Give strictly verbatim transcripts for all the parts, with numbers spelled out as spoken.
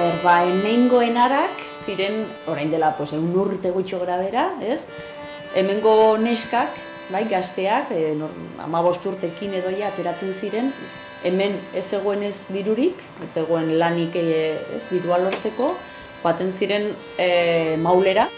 ber, ba, hemengo enarak ziren, orain dela, pues, egun urte gutxo gara bera, ez? Hemengo neskak, bai, gazteak, e, hamabost urtekin edoia ateratzen ziren, hemen ez zegoen ez dirurik, ez zegoen lanik e, ez dirua lortzeko, joaten ziren e, maulera.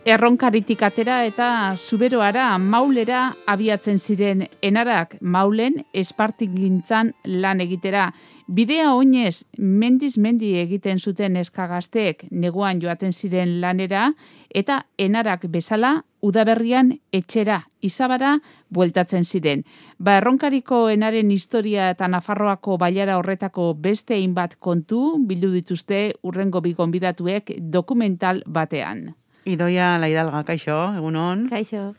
Erronkaritik atera eta Zuberoara maulera abiatzen ziren enarak maulen espartigintzan lan egitera. Bidea oinez mendiz mendi egiten zuten eskagazteek neguan joaten ziren lanera eta enarak bezala udaberrian etxera Izabara bueltatzen ziren. Ba, erronkariko enaren historia eta Nafarroako bailara horretako beste hainbat kontu bildu dituzte hurrengo bi gonbidatuek dokumental batean. Idoia Laidalga, kaixo, egunon. Kaixo.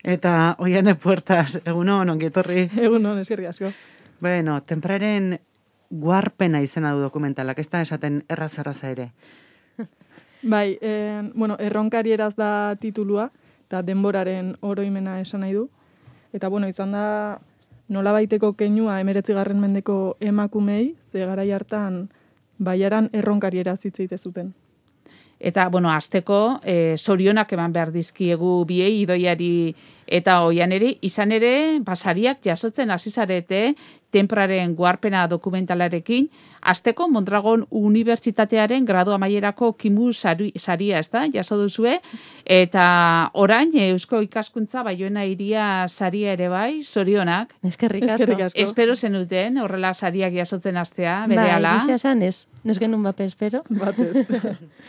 Eta Oiane Puertas, egunon, ongi etorri. Egunon, eskerrik asko. Bueno, Tempraren guarpena izena du dokumentalak, ez da esaten erraz-erraza ere. Bai, eh, bueno, erronkari eraz da titulua, eta denboraren oroimena esan nahi du. Eta, bueno, izan da nola baiteko keinua emeretzigarren mendeko emakumei, ze garai hartan baiaran erronkari eraz hitz egite zuten. Eta, bueno, azteko, e, zorionak eman behar dizkiegu biei, Idoiari eta Oianeri, izan ere, basariak jasotzen hasi zarete Tempraren guarpena dokumentalarekin, azteko Mondragon Unibertsitatearen gradu amaierako kimu saria, ez da, jaso duzue, eta orain Eusko Ikaskuntza Baioena Hiria saria ere bai, zorionak. Eskerrik asko. Espero zenuten, horrela sariak jasotzen hastea, berehala. Bai, gisa esan ez, ez genuen bape espero. Batez.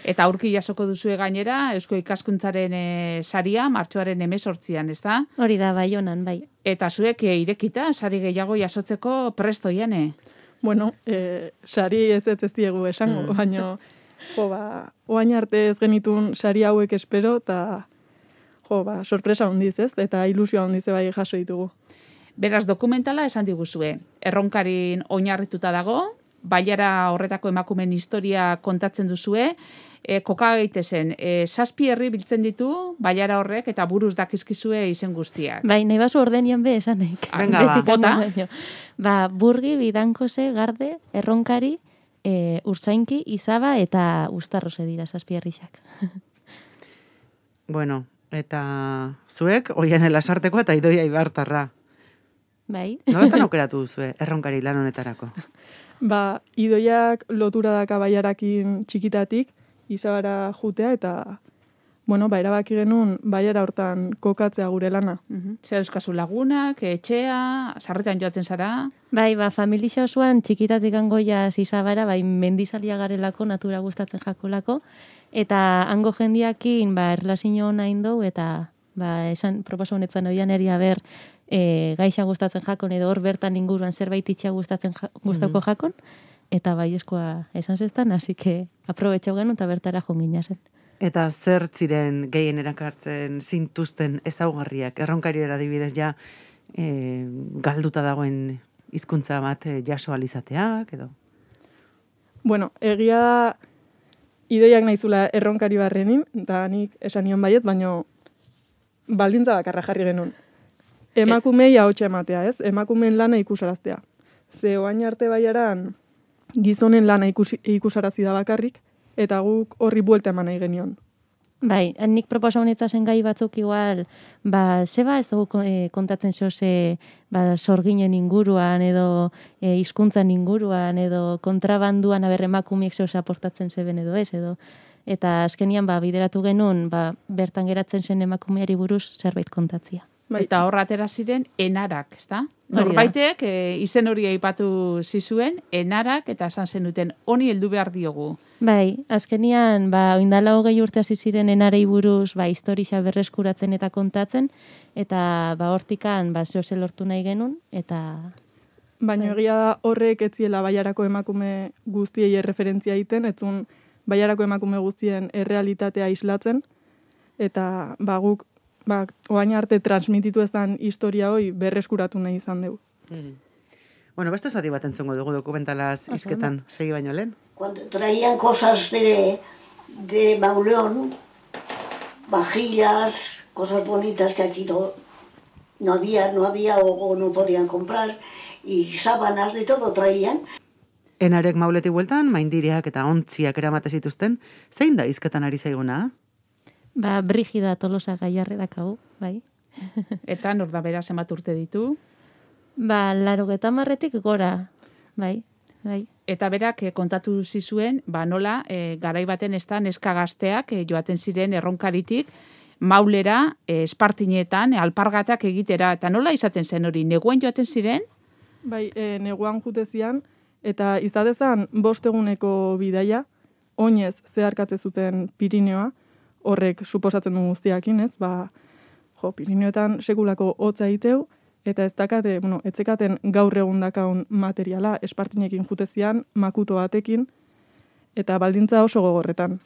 Eta aurki jasoko duzue gainera, Eusko Ikaskuntzaren e, saria, martxoaren hemezortzian, ez da? Hori da, Baionan, bai. Eta zuek e, irekita, sari gehiago jasotzeko presto jane? Bueno, e, sari ez ez ez diegu esango, mm. baina, jo, ba, oain arte ez genitun sari hauek espero, eta, jo, ba, sorpresa hondiz ez, eta ilusioa hondiz bai jaso ditugu. Beraz, dokumentala esan diguzue, erronkarin oinarrituta dago, baiara horretako emakumen historia kontatzen duzue, e, koka gaitezen, e, zazpi herri biltzen ditu, baiara horrek, eta buruz dakizkizue izen guztiak. Bai, nahi basu ordenian be esanek. Venga, ba, bota. Ba, Burgi, Bidankose, Garde, Erronkari, e, Urtzainki, Izaba eta Uztarrose dira zazpi herrixak. Bueno, eta zuek, Oiane Lasarteko eta Idoia Ibartarra. Bai. Noletan aukeratu duzue, erronkari lan honetarako? Ba, Idoiak lotura daka baiarakin txikitatik, Izabara jutea, eta, bueno, ba, erabaki genuen baiara hortan kokatzea gure lana. Uh-huh. Zer euskazu lagunak, etxea, sarretan joaten zara? Bai, ba, familia osoan txikitatik angoia Izabara, bai, mendizalia garelako, natura gustatzen jakolako, eta hango jendiakin, ba, erlazio nahin dugu, eta, ba, esan proposa honetan oian eri haber, e, gaixa gustatzen jakon, edo hor bertan inguruan zerbait itxea gustatzen ja, gustako mm-hmm. jakon, eta bai eskoa esan zestan, hasi que aprobetxau genuen eta bertara jongina zen. Eta zer ziren gehien erakartzen zintuzten ezaugarriak, erronkari adibidez ja e, galduta dagoen hizkuntza bat e, jaso alizateak, edo? Bueno, egia da Idoiak nahizula erronkari barrenin, eta nik esan nion baiet, baino baldintza bakarra jarri genuen. Emakumei ahotsa ematea, ez? Emakumeen lana ikusaraztea. Ze oain arte baiaran gizonen lana ikus, ikusarazi da bakarrik, eta guk horri buelta eman nahi genion. Bai, nik proposa honetazen gai batzuk igual, ba, zeba ez dugu e, kontatzen zoze, ba, sorginen inguruan, edo e, hizkuntzan inguruan, edo kontrabanduan aber emakumiek zoze aportatzen zeben edo ez, edo eta azkenian ba, bideratu genuen, ba, bertan geratzen zen emakumeari buruz zerbait kontatzia. Bai. Eta hor atera ziren enarak, ezta? Norbaitek e, izen hori aipatu zizuen, enarak, eta esan zenuten, honi heldu behar diogu. Bai, azkenian, ba, oindala hogei urte hasi ziren enarei buruz, ba, historia berreskuratzen eta kontatzen, eta ba, hortikan, ba, zehose lortu nahi genuen, eta... Baina egia da horrek ez ziela baiarako emakume guztiei erreferentzia egiten, etzun baiarako emakume guztien errealitatea islatzen, eta ba, guk ba, oain arte transmititu ezan historia hoi berreskuratu nahi izan dugu. Mm. Bueno, beste zati bat entzongo dugu dokumentalaz izketan, segi baino lehen. Cuando traían cosas de, de Mauleón, vajillas, cosas bonitas que aquí no, no había, no había o, o no podían comprar, y sábanas, de todo traían. Enarek mauletik bueltan, maindireak eta ontziak eramate zituzten, zein da hizketan ari zaiguna? Ba, Brigida Tolosa Gaiarre dakagu, bai. Eta nor da bera zenbat urte ditu? Ba, larogeta marretik gora, bai, bai. Eta berak eh, kontatu zizuen, ba nola, eh, garai baten ez da neska gazteak eh, joaten ziren erronkaritik, maulera, eh, espartinetan, alpargatak egitera, eta nola izaten zen hori, neguen joaten ziren? Bai, e, neguan jutezian, eta izatezan bost eguneko bidaia, oinez zeharkatze zuten Pirineoa, horrek suposatzen du guztiakin, ez? Ba, jo, Pirineoetan sekulako hotza egiteu, eta ez dakate, bueno, etzekaten gaur egun dakaun materiala, espartinekin jutezian, makuto batekin, eta baldintza oso gogorretan.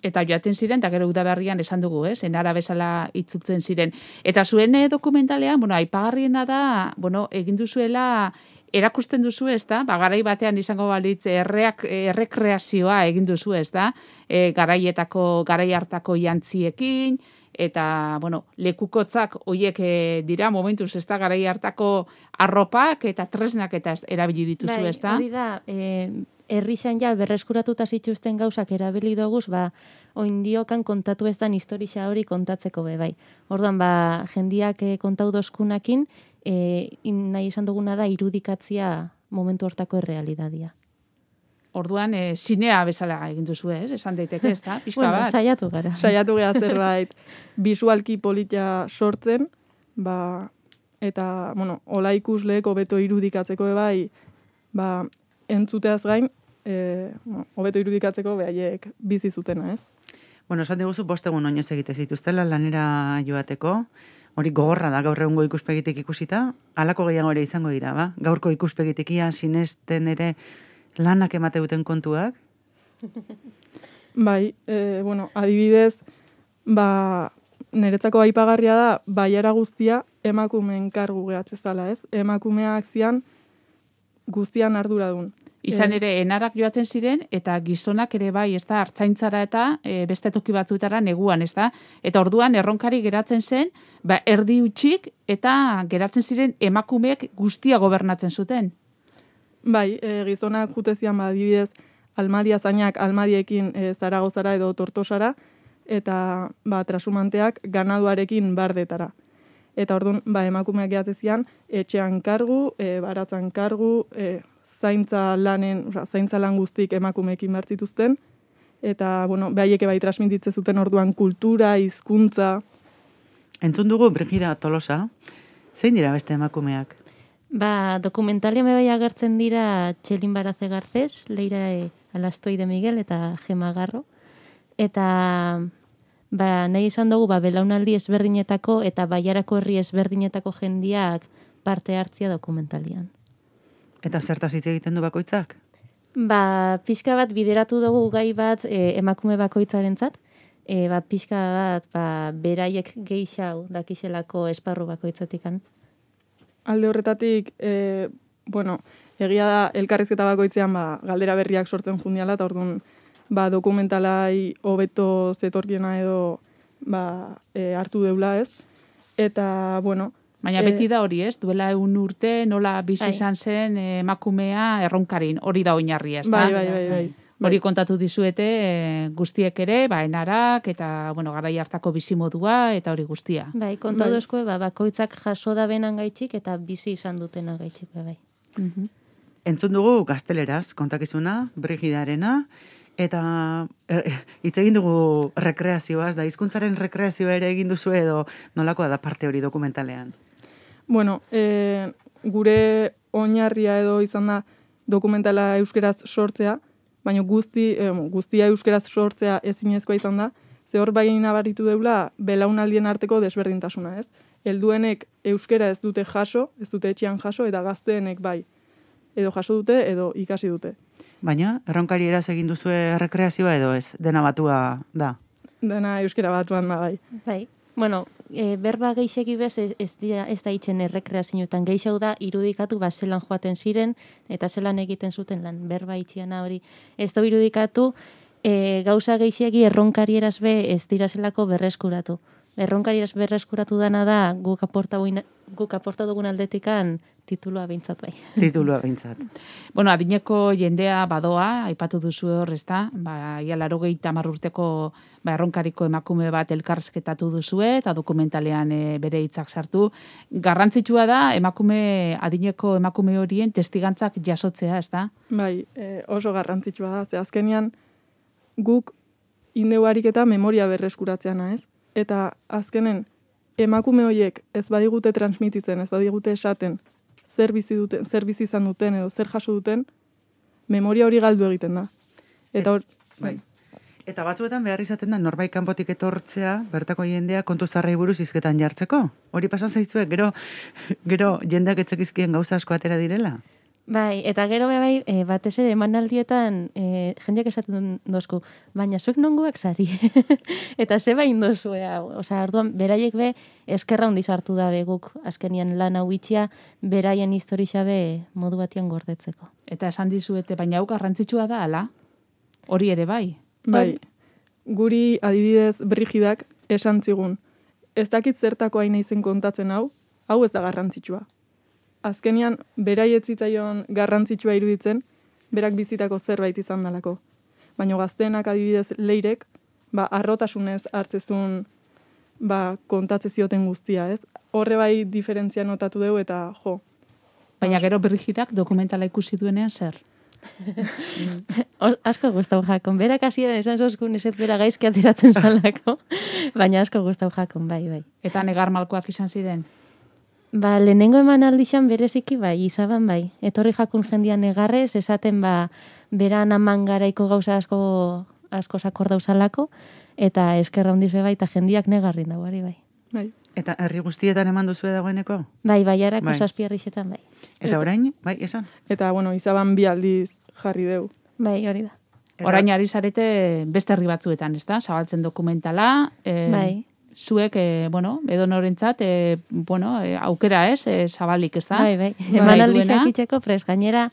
Eta joaten ziren, eta gero udaberrian esan dugu, ez? Enara bezala itzutzen ziren. Eta zuen eh, dokumentalean, bueno, aipagarriena da, bueno, egin duzuela, erakusten duzu, ez da? Ba, garai batean izango balitz erreak, errekreazioa egin duzu, ez da? E, garaietako, garai hartako jantziekin, eta, bueno, lekukotzak hoiek e, dira, momentuz, ez da, garai hartako arropak eta tresnak eta erabili dituzu, Bai, ez da? hori da, e, herrixan ja berreskuratuta zituzten gauzak erabili doguz, ba, oindiokan kontatu ez dan historia hori kontatzeko be, bai. Orduan, ba, jendiak e, kontau doskunakin, e, in, nahi esan duguna da irudikatzia momentu hortako errealidadia. Orduan, e, zinea bezala egin duzu, ez? Esan daiteke, ez da? Pixka Bueno, bat. saiatu gara. Saiatu geha zerbait bisualki politia sortzen, ba, eta, bueno, ola ikusleek hobeto irudikatzeko be bai, ba, entzuteaz gain, e, bueno, hobeto irudikatzeko behaiek bizi zutena, ez? Bueno, esan diguzu bost egun oinez egite zituztela lanera joateko, hori gogorra da gaur egungo ikuspegitik ikusita, halako gehiago ere izango dira, ba? Gaurko ikuspegitik ia sinesten ere lanak emate duten kontuak? Bai, e, bueno, adibidez, ba, niretzako aipagarria da, baiara guztia emakumeen kargu gehatzezala, ez? Emakumeak zian guztian arduradun. Izan E, ere, enarak joaten ziren, eta gizonak ere bai, ez da, hartzaintzara eta e, beste toki batzuetara neguan, ez da? Eta orduan, erronkari geratzen zen, ba, erdi utxik, eta geratzen ziren emakumeek guztia gobernatzen zuten. Bai, e, gizonak jutezian, ba, adibidez, almadia zainak almadiekin e, Zaragozara edo Tortosara, eta ba, trasumanteak ganaduarekin bardetara. Eta orduan, ba, emakumeak gehatzezian, etxean kargu, e, baratzan kargu, e, zaintza lanen, oza, zaintza lan guztik emakumeekin bertituzten, eta, bueno, behaieke bai transmititze zuten orduan kultura, hizkuntza. Entzun dugu Brigida Tolosa, zein dira beste emakumeak? Ba, dokumentalian bai agertzen dira Txelin Baraze Garcés, Leira e, Alastoi de Miguel eta Gema Garro. Eta ba, nahi izan dugu ba, belaunaldi ezberdinetako eta baiarako herri ezberdinetako jendiak parte hartzia dokumentalian. Eta zertaz hitz egiten du bakoitzak? Ba, pixka bat bideratu dugu gai bat e, emakume bakoitzarentzat, e, ba, pixka bat ba, beraiek geixau dakiselako esparru bakoitzatikan. Alde horretatik, e, bueno, egia da elkarrizketa bakoitzean ba, galdera berriak sortzen jundiala, eta orduan ba, dokumentalai hobeto zetorkiena edo ba, e, hartu deula, ez? Eta, bueno... Baina beti da hori, ez? Duela egun urte, nola bizi Bai. izan zen eh, emakumea erronkarin, hori da oinarri, ez da? Bai, bai, bai, bai. Hori kontatu dizuete e, guztiek ere, ba, enarak, eta, bueno, garai hartako bizimodua, eta hori guztia. Bai, konta Bai. dozkoe, ba, bakoitzak jaso da benan gaitxik eta bizi izan dutena gaitxik, bai. Mhm. Entzun dugu gazteleraz kontakizuna, Brigidarena, eta er, hitz egin dugu rekreazioaz, da hizkuntzaren rekreazioa ere egin duzu edo nolakoa da parte hori dokumentalean? Bueno, e, gure oinarria edo izan da dokumentala euskeraz sortzea, baina guzti, e, guztia euskeraz sortzea ezinezkoa izan da, ze hor bai nabaritu deula belaunaldien arteko desberdintasuna, ez? Helduenek euskera ez dute jaso, ez dute etxean jaso, eta gazteenek bai. Edo jaso dute, edo ikasi dute. Baina, erronkari eraz egin duzue rekreazioa edo ez? Dena batua da. Dena euskera batuan da bai. Bai. Bueno, e, berba geixeki bez ez, ez, dira, ez da itzen errekreazioetan. Geixau da irudikatu ba zelan joaten ziren eta zelan egiten zuten lan. Berba itxiana hori ez da irudikatu e, gauza geixeki erronkari eraz be ez dira zelako berreskuratu. erronkari berreskuratu dana da guk aporta guk aporta dugun aldetikan titulua behintzat bai. Titulua behintzat. Bueno, adineko jendea badoa, aipatu duzu hor, ezta? Ba, ia laurogeita hamar urteko ba, erronkariko emakume bat elkarrizketatu duzue eta dokumentalean e, bere hitzak sartu. Garrantzitsua da emakume adineko emakume horien testigantzak jasotzea, ezta? Bai, e, oso garrantzitsua da. Ze azkenean guk indeu ariketa memoria berreskuratzeana, ez? Eta azkenen emakume horiek ez badigute transmititzen, ez badigute esaten, zer bizi duten, zer bizi izan duten edo zer jaso duten, memoria hori galdu egiten da. Eta hor, bai. Eta batzuetan behar izaten da norbait kanpotik etortzea, bertako jendea kontu zarrei buruz hizketan jartzeko. Hori pasan zaizue, gero gero jendeak etzekizkien gauza asko atera direla. Bai, eta gero bai, e, batez ere emanaldietan e, jendeak esaten dozku, baina zuek nongoak sari. Eta ze bain dozue hau. Osea, orduan beraiek be eskerra handiz hartu dabe guk azkenian lan hau itxia beraien historia be modu batean gordetzeko. Eta esan dizuete, baina hau garrantzitsua da ala? Hori ere bai. bai, guri adibidez Brigidak esan zigun, ez dakit zertako hain izen kontatzen hau, hau ez da garrantzitsua. Azkenian, beraiet zitzaion garrantzitsua iruditzen, berak bizitako zerbait izan dalako. Baina gazteenak adibidez leirek, ba, arrotasunez hartzezun ba, kontatze zioten guztia, ez? Horre bai diferentzia notatu dugu eta jo. Baina gero Brigidak dokumentala ikusi duenean zer? O, asko gustau jakon. Berak hasieran esan zozkun ez ez bera gaizki ateratzen zalako, baina asko gustau jakon, bai, bai. Eta negar malkoak izan ziren? Ba, lehenengo eman aldixan bereziki bai, izaban bai. Etorri jakun jendian negarrez, esaten ba, beran aman garaiko gauza asko, asko sakor dauzalako, eta eskerra hundiz bai, eta jendiak negarrin dago, ari bai. Bai. Eta herri guztietan eman duzue dagoeneko? Bai, bai, harako Bai. zazpiarrixetan bai. Eta orain, bai, esan? Eta, bueno, izaban bi aldiz jarri deu. Bai, hori da. Eta- Orain ari zarete beste herri batzuetan, ezta? Zabaltzen dokumentala. E, Bai. Zuek, e, bueno, edo norentzat, e, bueno, e, aukera ez, e, zabalik, ezta? Bai, bai. Bai, Eman aldixak duena. itxeko, pres, gainera,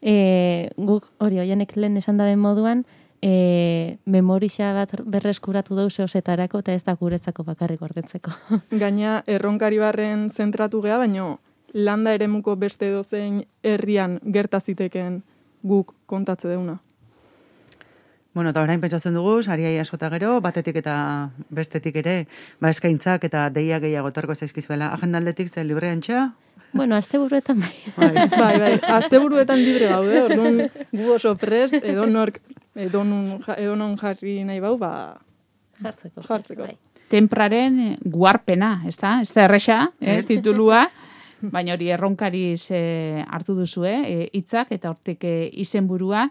e, guk hori, oianek lehen esan daben moduan, e, memorixa bat berreskuratu dau zeozetarako, eta ez da guretzako bakarrik gordetzeko. Gaina erronkari barren zentratu gea, baino landa eremuko beste dozein herrian gertaziteken guk kontatze deuna. Bueno, eta orain pentsatzen dugu, sariai askota gero, batetik eta bestetik ere, ba eskaintzak eta deia gehiago tarko zaizkizuela. Agendaldetik ze libre antxa? Bueno, azte buruetan bai. Bai. Bai, bai, asteburuetan libre gaude, orduan gu oso prest, edonork, edonon, ja- edonon jarri nahi bau, ba, Jartzeko. Jartzeko. Bai. Tempraren e, guarpena, ezta? Ez da erresa, eh, Ez. titulua, baina hori erronkariz e, hartu duzue, e, hitzak eta hortik e, izenburua,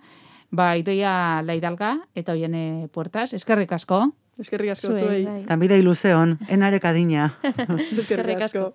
ba, Idoia Laidalga eta Oiane Puertas, eskerrik asko. eskerrik asko Zuei, zuei. bai. Tanbidei luzeon, enarek adina. Eskerrik asko.